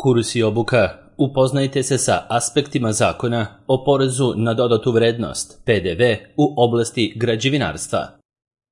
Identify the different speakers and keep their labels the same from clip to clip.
Speaker 1: Kurs i obuka. Upoznajte se sa aspektima zakona o porezu na dodatu vrednost, PDV, u oblasti građevinarstva.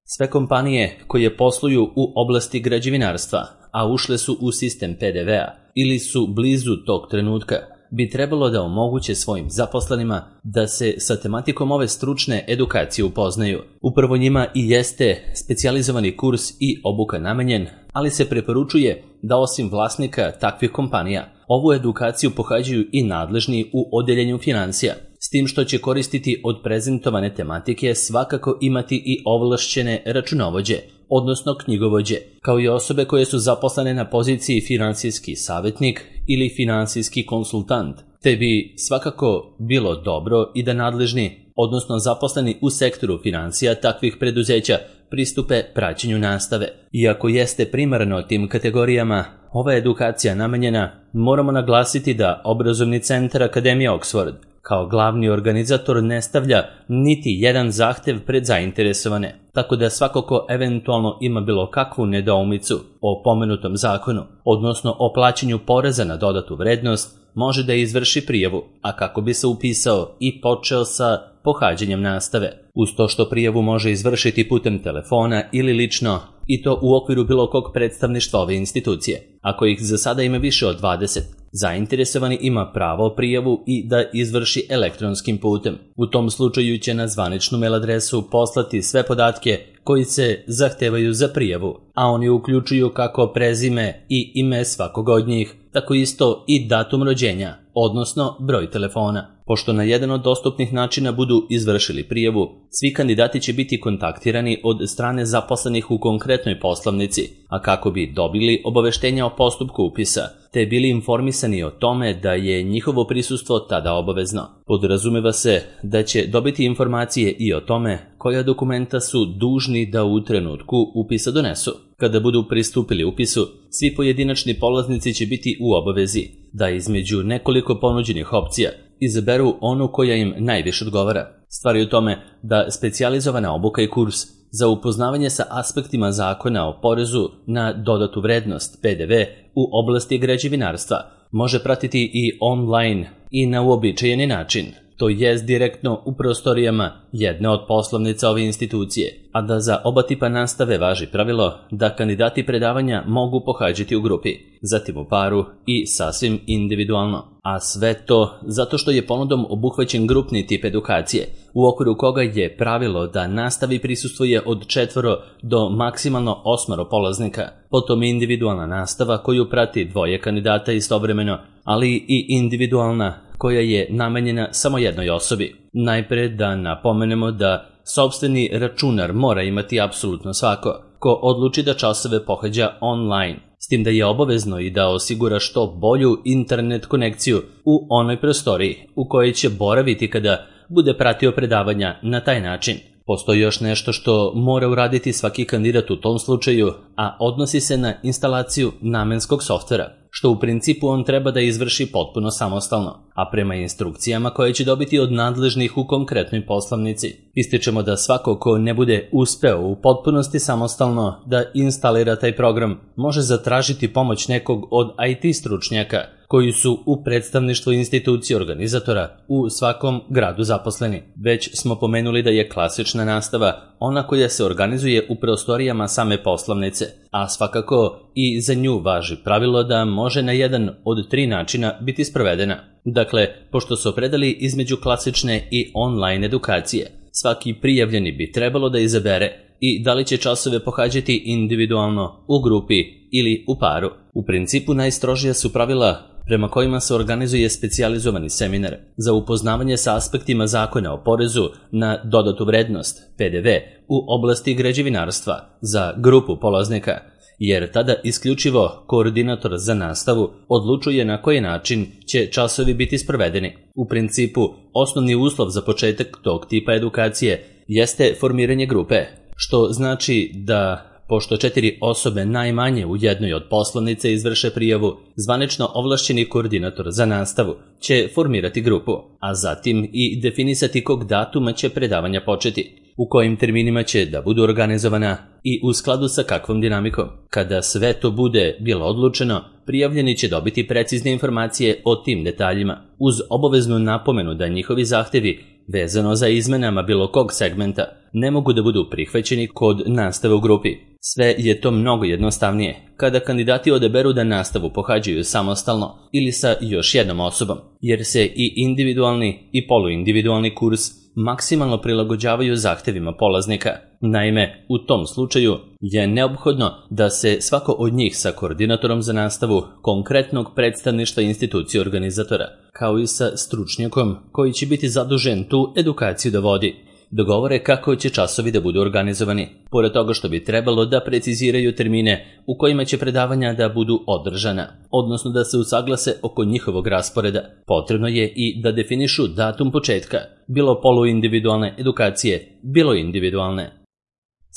Speaker 1: Sve kompanije koje posluju u oblasti građevinarstva, a ušle su u sistem PDV-a ili su blizu tog trenutka, bi trebalo da omoguće svojim zaposlenima da se sa tematikom ove stručne edukacije upoznaju. Upravo njima i jeste specijalizovani kurs i obuka namenjen, ali se preporučuje da osim vlasnika takvih kompanija, ovu edukaciju pohađaju i nadležni u odeljenju financija, s tim što će koristiti od prezentovane tematike svakako imati i ovlašćene računovođe, odnosno knjigovođe, kao i osobe koje su zaposlene na poziciji finansijski savjetnik ili finansijski konsultant, te bi svakako bilo dobro i da nadležni, odnosno zaposleni u sektoru financija takvih preduzeća, pristupe praćenju nastave. Iako jeste primarno tim kategorijama ova edukacija namenjena, moramo naglasiti da Obrazovni centar Akademije Oxford kao glavni organizator ne stavlja niti jedan zahtev pred zainteresovane, tako da svako ko eventualno ima bilo kakvu nedoumicu o pomenutom zakonu, odnosno o plaćanju poreza na dodatu vrednost, može da izvrši prijavu, a kako bi se upisao i počeo sa pohađanjem nastave. Uz to što prijavu može izvršiti putem telefona ili lično, i to u okviru bilo kog predstavništva ove institucije. Ako ih za sada ima više od 20, zainteresovani ima pravo prijavu i da izvrši elektronskim putem. U tom slučaju će na zvaničnu mail adresu poslati sve podatke koji se zahtevaju za prijavu, a oni uključuju kako prezime i ime svakog od njih, tako isto i datum rođenja, odnosno broj telefona. Pošto na jedan od dostupnih načina budu izvršili prijavu, svi kandidati će biti kontaktirani od strane zaposlenih u konkretnoj poslovnici, a kako bi dobili obaveštenja o postupku upisa, te bili informisani o tome da je njihovo prisustvo tada obavezno. Podrazumeva se da će dobiti informacije i o tome koja dokumenta su dužni da u trenutku upisa donesu. Kada budu pristupili upisu, svi pojedinačni polaznici će biti u obavezi da između nekoliko ponuđenih opcija izaberu onu koja im najviše odgovara. Stvar je u tome da specijalizovana obuka i kurs za upoznavanje sa aspektima zakona o porezu na dodatu vrednost PDV u oblasti građevinarstva može pratiti i online i na uobičajeni način, to jest direktno u prostorijama jedne od poslovnica ove institucije, a da za oba tipa nastave važi pravilo da kandidati predavanja mogu pohađati u grupi, zatim u paru i sasvim individualno. A sve to zato što je ponudom obuhvaćen grupni tip edukacije, u okviru koga je pravilo da nastavi prisustvuje od 4 do maksimalno 8 polaznika, potom individualna nastava koju prati 2 kandidata istovremeno, ali i individualna koja je namenjena samo jednoj osobi. Najpre da napomenemo da sopstveni računar mora imati apsolutno svako ko odluči da časove pohađa online, s tim da je obavezno i da osigura što bolju internet konekciju u onoj prostoriji u kojoj će boraviti kada bude pratio predavanja na taj način. Postoji još nešto što mora uraditi svaki kandidat u tom slučaju, a odnosi se na instalaciju namenskog softvera, što u principu on treba da izvrši potpuno samostalno, a prema instrukcijama koje će dobiti od nadležnih u konkretnoj poslovnici. Ističemo da svako ko ne bude uspeo u potpunosti samostalno da instalira taj program, može zatražiti pomoć nekog od IT stručnjaka koji su u predstavništvu institucije organizatora u svakom gradu zaposleni. Već smo pomenuli da je klasična nastava ona koja se organizuje u prostorijama same poslovnice, a svakako i za nju važi pravilo da može na jedan od 3 načina biti sprovedena. Dakle, pošto su opredali između klasične i online edukacije, svaki prijavljeni bi trebalo da izabere i da li će časove pohađati individualno, u grupi ili u paru. U principu najstrožija su pravila prema kojima se organizuje specijalizovani seminar za upoznavanje sa aspektima zakona o porezu na dodatu vrednost, PDV, u oblasti građevinarstva za grupu polaznika, jer tada isključivo koordinator za nastavu odlučuje na koji način će časovi biti sprovedeni. U principu, osnovni uslov za početak tog tipa edukacije jeste formiranje grupe, što znači da pošto 4 osobe najmanje u jednoj od poslovnice izvrše prijavu, zvanično ovlašćeni koordinator za nastavu će formirati grupu, a zatim i definisati kog datuma će predavanja početi. u kojim terminima će da budu organizovana i u skladu sa kakvom dinamikom. Kada sve to bude bilo odlučeno, prijavljeni će dobiti precizne informacije o tim detaljima, uz obaveznu napomenu da njihovi zahtevi vezano za izmenama bilo kog segmenta ne mogu da budu prihvaćeni kod nastave u grupi. Sve je to mnogo jednostavnije kada kandidati odaberu da nastavu pohađaju samostalno ili sa još jednom osobom, jer se i individualni i poluindividualni kurs maksimalno prilagođavaju zahtevima polaznika. Naime, u tom slučaju je neophodno da se svako od njih sa koordinatorom za nastavu konkretnog predstavništva institucije organizatora, kao i sa stručnjakom koji će biti zadužen tu edukaciju da vodi, dogovore kako će časovi da budu organizovani, pored toga što bi trebalo da preciziraju termine u kojima će predavanja da budu održana, odnosno da se usaglase oko njihovog rasporeda. Potrebno je i da definišu datum početka, bilo poluindividualne edukacije, bilo individualne.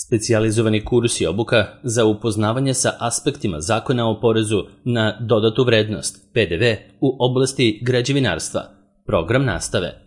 Speaker 1: Specijalizovani kurs i obuka za upoznavanje sa aspektima Zakona o porezu na dodatu vrednost, PDV, u oblasti građevinarstva, program nastave.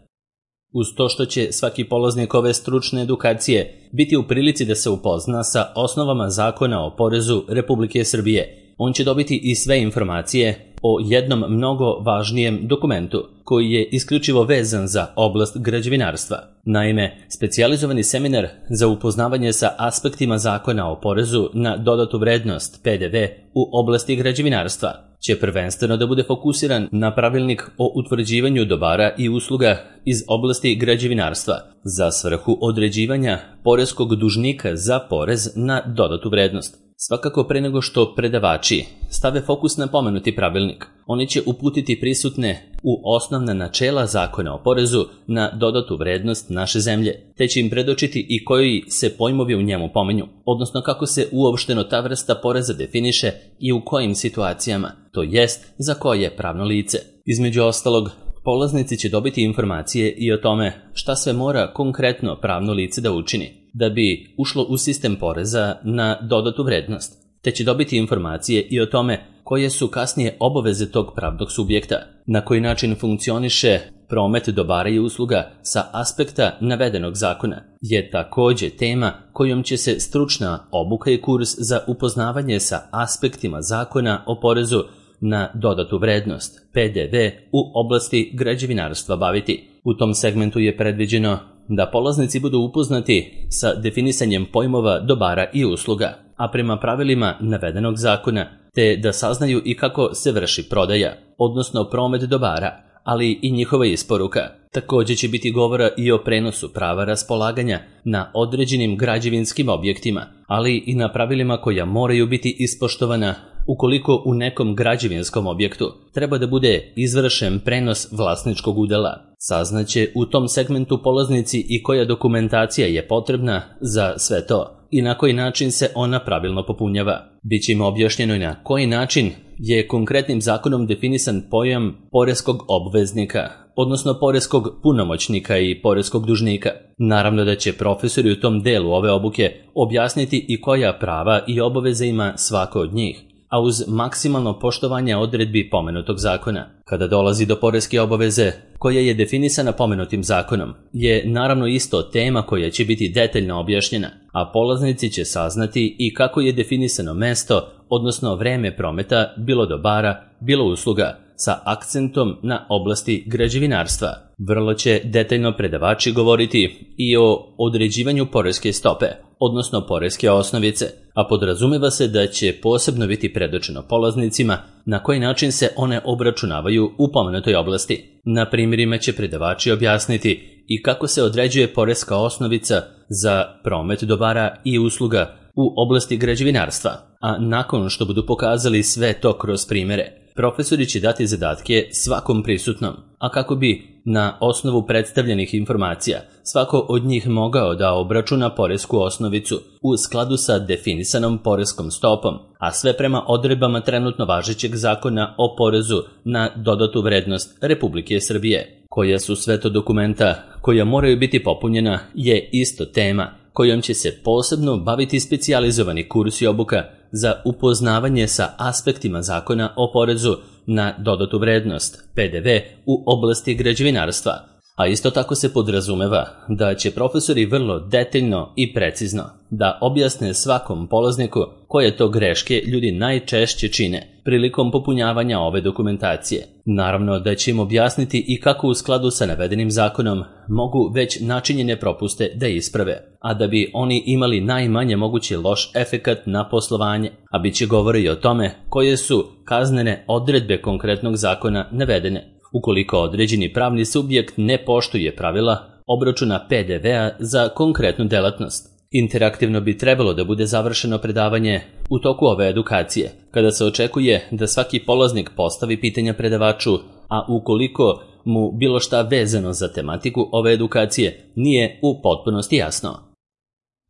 Speaker 1: Uz to što će svaki polaznik ove stručne edukacije biti u prilici da se upozna sa osnovama Zakona o porezu Republike Srbije, on će dobiti i sve informacije o jednom mnogo važnijem dokumentu koji je isključivo vezan za oblast građevinarstva. Naime, specijalizovani seminar za upoznavanje sa aspektima Zakona o porezu na dodatu vrednost PDV u oblasti građevinarstva će prvenstveno da bude fokusiran na pravilnik o utvrđivanju dobara i usluga iz oblasti građevinarstva za svrhu određivanja poreskog dužnika za porez na dodatu vrednost. Svakako pre nego što predavači stave fokus na pomenuti pravilnik, oni će uputiti prisutne u osnovna načela Zakona o porezu na dodatu vrednost naše zemlje, te će im predočiti i koji se pojmovi u njemu pominju, odnosno kako se uopšteno ta vrsta poreza definiše i u kojim situacijama, to jest za koje pravno lice. Između ostalog, polaznici će dobiti informacije i o tome šta sve mora konkretno pravno lice da učini da bi ušlo u sistem poreza na dodatu vrednost, te će dobiti informacije i o tome koje su kasnije obaveze tog pravnog subjekta, na koji način funkcioniše promet dobara i usluga sa aspekta navedenog zakona, je takođe tema kojom će se stručna obuka i kurs za upoznavanje sa aspektima Zakona o porezu na dodatu vrednost, PDV, u oblasti građevinarstva baviti. U tom segmentu je predviđeno da polaznici budu upoznati sa definisanjem pojmova dobara i usluga, a prema pravilima navedenog zakona, te da saznaju i kako se vrši prodaja, odnosno promet dobara, ali i njihova isporuka. Takođe će biti govora i o prenosu prava raspolaganja na određenim građevinskim objektima, ali i na pravilima koja moraju biti ispoštovana ukoliko u nekom građevinskom objektu treba da bude izvršen prenos vlasničkog udela. Saznaće u tom segmentu polaznici i koja dokumentacija je potrebna za sve to i na koji način se ona pravilno popunjava. Biće im objašnjeno i na koji način je konkretnim zakonom definisan pojam poreskog obveznika, odnosno poreskog punomoćnika i poreskog dužnika. Naravno da će profesori u tom delu ove obuke objasniti i koja prava i obaveze ima svako od njih, a uz maksimalno poštovanje odredbi pomenutog zakona. Kada dolazi do poreske obaveze, koja je definisana pomenutim zakonom, je naravno isto tema koja će biti detaljno objašnjena, a polaznici će saznati i kako je definisano mesto, odnosno vreme prometa, bilo dobara, bilo usluga, sa akcentom na oblasti građevinarstva. Vrlo će detaljno predavači govoriti i o određivanju poreske stope, odnosno poreske osnovice, a podrazumeva se da će posebno biti predočeno polaznicima na koji način se one obračunavaju u pomenutoj oblasti. Na primjerima će predavači objasniti i kako se određuje poreska osnovica za promet dobara i usluga u oblasti građevinarstva, a nakon što budu pokazali sve to kroz primere, profesori će dati zadatke svakom prisutnom, a kako bi na osnovu predstavljenih informacija svako od njih mogao da obračuna poresku osnovicu u skladu sa definisanom poreskom stopom, a sve prema odredbama trenutno važećeg Zakona o porezu na dodatu vrednost Republike Srbije. Koja su sve to dokumenta koja moraju biti popunjena je isto tema kojom će se posebno baviti specijalizovani kurs i obuka za upoznavanje sa aspektima Zakona o porezu na dodatu vrednost, PDV, u oblasti građevinarstva. A isto tako se podrazumeva da će profesori vrlo detaljno i precizno da objasne svakom polazniku koje to greške ljudi najčešće čine prilikom popunjavanja ove dokumentacije. Naravno da će im objasniti i kako u skladu sa navedenim zakonom mogu već načinjene propuste da isprave, a da bi oni imali najmanje mogući loš efekat na poslovanje, a bit će govora i o tome koje su kaznene odredbe konkretnog zakona navedene ukoliko određeni pravni subjekt ne poštuje pravila obračuna PDV-a za konkretnu delatnost. Interaktivno bi trebalo da bude završeno predavanje u toku ove edukacije, kada se očekuje da svaki polaznik postavi pitanja predavaču, a ukoliko mu bilo šta vezano za tematiku ove edukacije nije u potpunosti jasno.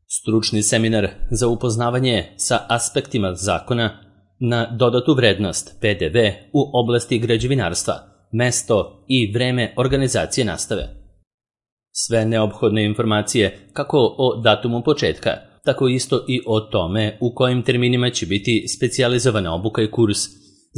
Speaker 1: Stručni seminar za upoznavanje sa aspektima zakona na dodatu vrednost PDV u oblasti građevinarstva, mesto i vreme organizacije nastave. Sve neophodne informacije kako o datumu početka, tako isto i o tome u kojim terminima će biti specijalizovana obuka i kurs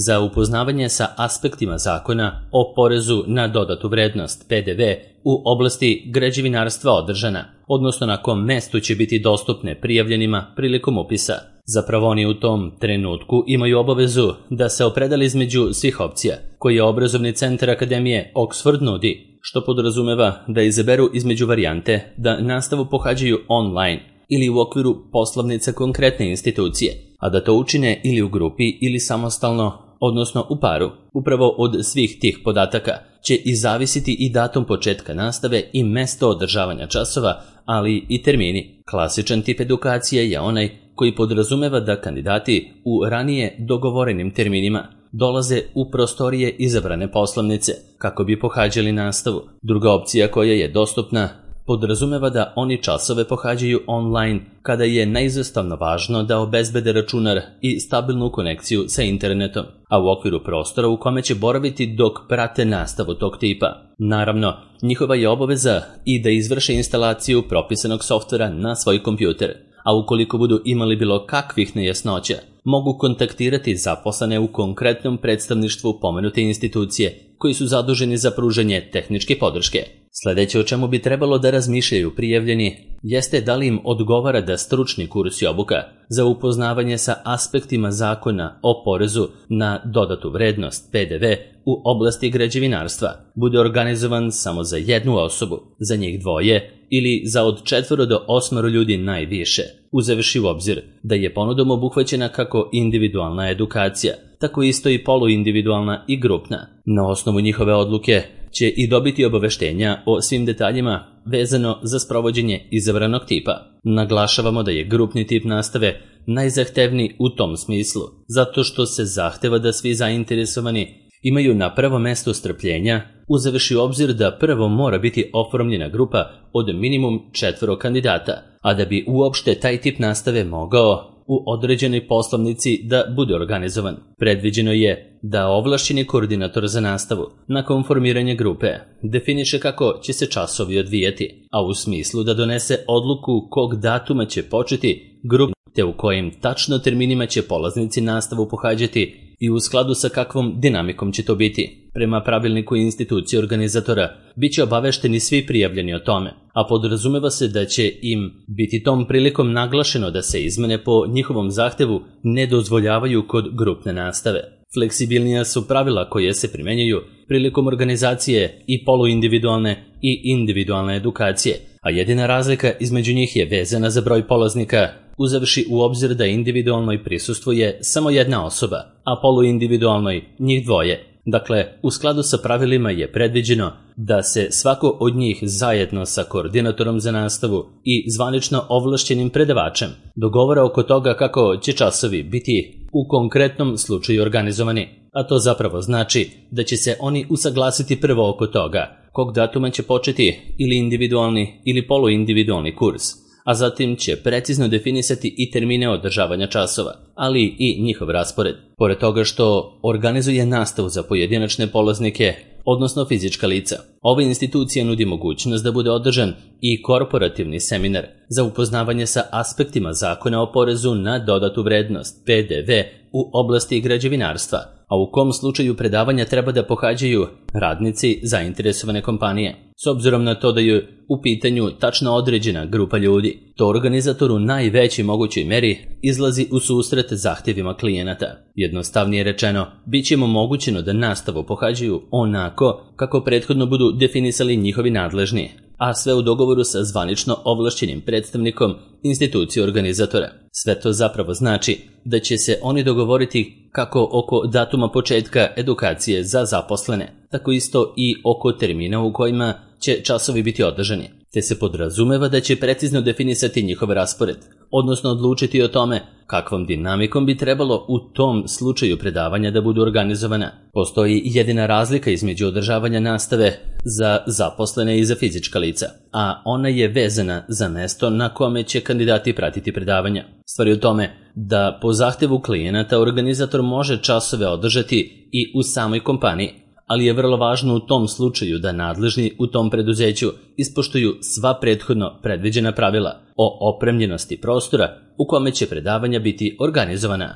Speaker 1: za upoznavanje sa aspektima zakona o porezu na dodatu vrednost PDV u oblasti građevinarstva održana, odnosno na kom mestu će biti dostupne prijavljenima prilikom upisa. Zapravo oni u tom trenutku imaju obavezu da se opredele između svih opcija koje obrazovni centar Akademije Oxford nudi, što podrazumeva da izaberu između varijante da nastavu pohađaju online ili u okviru poslovnica konkretne institucije, a da to učine ili u grupi ili samostalno, odnosno u paru. Upravo od svih tih podataka će i zavisiti i datum početka nastave i mesto održavanja časova, ali i termini. Klasičan tip edukacije je onaj koji podrazumeva da kandidati u ranije dogovorenim terminima dolaze u prostorije izabrane poslovnice kako bi pohađali nastavu. Druga opcija koja je dostupna podrazumeva da oni časove pohađaju online kada je neizostavno važno da obezbede računar i stabilnu konekciju sa internetom, a u okviru prostora u kome će boraviti dok prate nastavu tog tipa. Naravno, njihova je obaveza i da izvrše instalaciju propisanog softvera na svoj kompjuter, a ukoliko budu imali bilo kakvih nejasnoća, mogu kontaktirati zaposlene u konkretnom predstavništvu pomenute institucije koji su zaduženi za pružanje tehničke podrške. Sledeće o čemu bi trebalo da razmišljaju prijavljeni jeste da li im odgovara da stručni kurs i obuka za upoznavanje sa aspektima zakona o porezu na dodatu vrednost PDV u oblasti građevinarstva bude organizovan samo za jednu osobu, za njih dvoje ili za od 4 do 8 ljudi najviše, uzevši u obzir da je ponudom obuhvaćena kako individualna edukacija, tako isto i poluindividualna i grupna. Na osnovu njihove odluke će i dobiti obaveštenja o svim detaljima vezano za sprovođenje izabranog tipa. Naglašavamo da je grupni tip nastave najzahtevniji u tom smislu, zato što se zahteva da svi zainteresovani imaju na prvo mesto strpljenja, uzevši u obzir da prvo mora biti oformljena grupa od minimum 4 kandidata, a da bi uopšte taj tip nastave mogao u određenoj poslovnici da bude organizovan. Predviđeno je da ovlašćeni koordinator za nastavu, nakon formiranja grupe, definiše kako će se časovi odvijati, a u smislu da donese odluku kog datuma će početi grupa, te u kojim tačno terminima će polaznici nastavu pohađati i u skladu sa kakvom dinamikom će to biti. Prema pravilniku institucije organizatora bit će obavešteni svi prijavljeni o tome, a podrazumeva se da će im biti tom prilikom naglašeno da se izmene po njihovom zahtevu ne dozvoljavaju kod grupne nastave. Fleksibilnija su pravila koje se primenjuju prilikom organizacije i poluindividualne i individualne edukacije, a jedina razlika između njih je vezana za broj polaznika, uzevši u obzir da individualnoj prisustvuje samo jedna osoba, a poluindividualnoj njih dvoje. Dakle, u skladu sa pravilima je predviđeno da se svako od njih zajedno sa koordinatorom za nastavu i zvanično ovlašćenim predavačem dogovara oko toga kako će časovi biti u konkretnom slučaju organizovani, a to zapravo znači da će se oni usaglasiti prvo oko toga kog datuma će početi ili individualni ili poluindividualni kurs, a zatim će precizno definisati i termine održavanja časova, ali i njihov raspored. Pored toga što organizuje nastavu za pojedinačne polaznike, odnosno fizička lica, Ova institucija nudi mogućnost da bude održan i korporativni seminar za upoznavanje sa aspektima zakona o porezu na dodatu vrednost, PDV, u oblasti građevinarstva, a u kom slučaju predavanja treba da pohađaju radnici zainteresovane kompanije. S obzirom na to da je u pitanju tačno određena grupa ljudi, to organizator u najvećoj mogućoj meri izlazi u susret zahtjevima klijenata. Jednostavnije rečeno, bit će im omogućeno da nastavu pohađaju onako kako prethodno budu definisali njihovi nadležni, a sve u dogovoru sa zvanično ovlašćenim predstavnikom institucije organizatora. Sve to zapravo znači da će se oni dogovoriti kako oko datuma početka edukacije za zaposlene, tako isto i oko termina u kojima će časovi biti održani, te se podrazumeva da će precizno definisati njihov raspored, odnosno odlučiti o tome kakvom dinamikom bi trebalo u tom slučaju predavanja da budu organizovana. Postoji jedina razlika između održavanja nastave za zaposlene i za fizička lica, a ona je vezana za mesto na kome će kandidati pratiti predavanja. Stvar je u tome da po zahtevu klijenata organizator može časove održati i u samoj kompaniji, ali je vrlo važno u tom slučaju da nadležni u tom preduzeću ispoštuju sva prethodno predviđena pravila o opremljenosti prostora u kome će predavanja biti organizovana.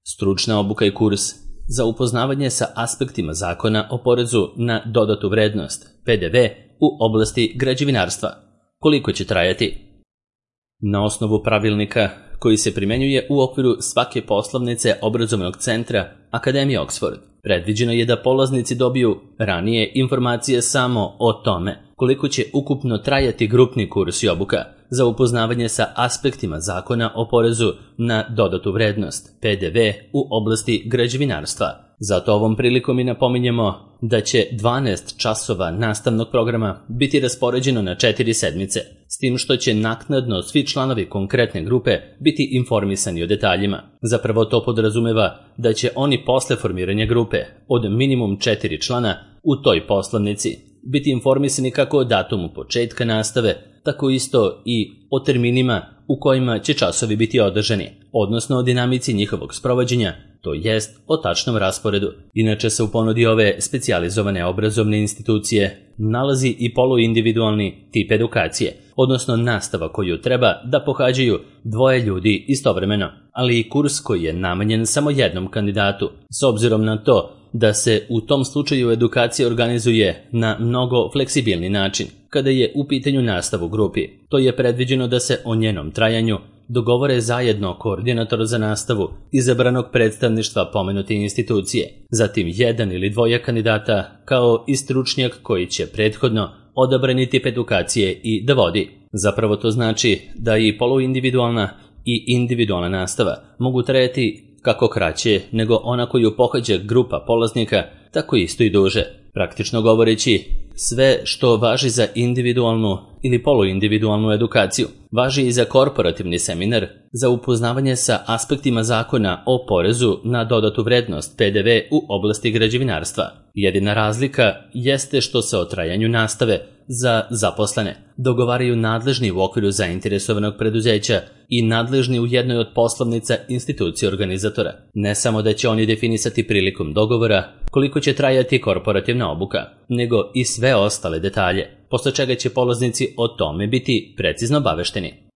Speaker 1: Stručna obuka i kurs za upoznavanje sa aspektima zakona o porezu na dodatu vrednost, PDV, u oblasti građevinarstva. Koliko će trajati? Na osnovu pravilnika koji se primenjuje u okviru svake poslovnice obrazovnog centra Akademije Oxford, predviđeno je da polaznici dobiju ranije informacije samo o tome koliko će ukupno trajati grupni kurs i obuka za upoznavanje sa aspektima zakona o porezu na dodatu vrednost, PDV, u oblasti građevinarstva. Zato ovom prilikom i napominjemo da će 12 časova nastavnog programa biti raspoređeno na 4 sedmice, s tim što će naknadno svi članovi konkretne grupe biti informisani o detaljima. Zapravo to podrazumeva da će oni posle formiranja grupe od minimum 4 člana u toj poslovnici biti informisani kako o datumu početka nastave, tako isto i o terminima u kojima će časovi biti održani, odnosno o dinamici njihovog sprovođenja, to jest o tačnom rasporedu. Inače se u ponudi ove specijalizovane obrazovne institucije nalazi i poluindividualni tip edukacije, odnosno nastava koju treba da pohađaju 2 ljudi istovremeno, ali i kurs koji je namenjen samo jednom kandidatu, s obzirom na to da se u tom slučaju edukacija organizuje na mnogo fleksibilni način. Kada je u pitanju nastav u grupi, to je predviđeno da se o njenom trajanju dogovore zajedno koordinator za nastavu izabranog predstavništva pomenute institucije, zatim 1 ili 2 kandidata kao i stručnjak koji će prethodno odabrani tip edukacije i da vodi. Zapravo to znači da i poluindividualna i individualna nastava mogu trajati kako kraće nego ona koju pohađa grupa polaznika, tako isto i duže. Praktično govoreći, sve što važi za individualnu ili poluindividualnu edukaciju, važi i za korporativni seminar za upoznavanje sa aspektima zakona o porezu na dodatu vrednost, PDV, u oblasti građevinarstva. Jedina razlika jeste što se o trajanju nastave za zaposlene dogovaraju nadležni u okviru zainteresovanog preduzeća i nadležni u jednoj od poslovnica institucije organizatora. Ne samo da će oni definisati prilikom dogovora koliko će trajati korporativna obuka, nego i sve ostale detalje, posle čega će polaznici o tome biti precizno obavešteni.